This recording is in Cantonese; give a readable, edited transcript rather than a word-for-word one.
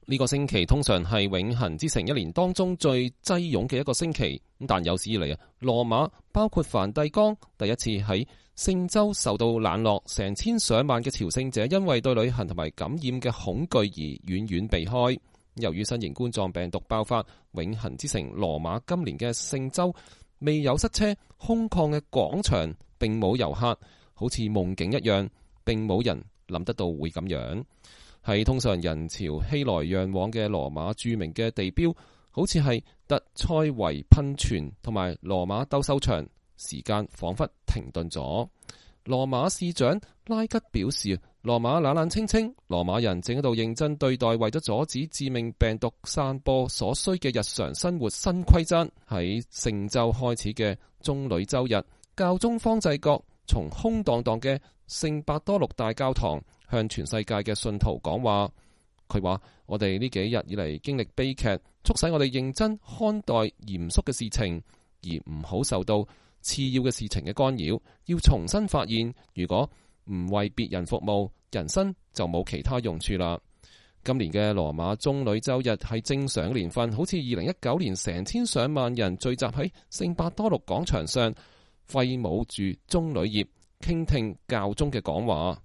呢個星期通常係永恆之城一年當中最擠擁嘅一個星期，但有史以嚟羅馬包括梵蒂岡第一次喺聖週受到冷落，成千上萬嘅朝聖者因為對旅行同埋感染嘅恐懼而遠遠避開。由於新型冠狀病毒爆發，永恆之城羅馬今年嘅聖週未有塞車，空曠嘅廣場並冇遊客，好似夢境一樣，並冇人諗得到會咁樣。係通常人潮熙來攘往嘅羅馬著名嘅地標，好似係特塞維噴泉同埋羅馬鬥獸場，時間仿佛停頓咗。羅馬市長拉吉表示，羅馬冷冷清清，羅馬人正喺度認真對待為咗阻止致命病毒散播所需嘅日常生活新規則。喺聖週開始嘅棕櫚週日，教宗方濟各從空蕩蕩嘅聖伯多祿大教堂向全世界嘅信徒講話。佢話：我哋呢幾日以嚟經歷悲劇，促使我哋認真看待嚴肅嘅事情，而唔好受到次要嘅事情嘅干擾。要重新發現，如果唔為別人服務，人生就冇其他用處啦。今年嘅羅馬棕櫚週日係正常嘅年份，好似2019年成千上萬人聚集喺聖伯多祿廣場上，揮舞住棕櫚葉，傾聽教宗嘅講話。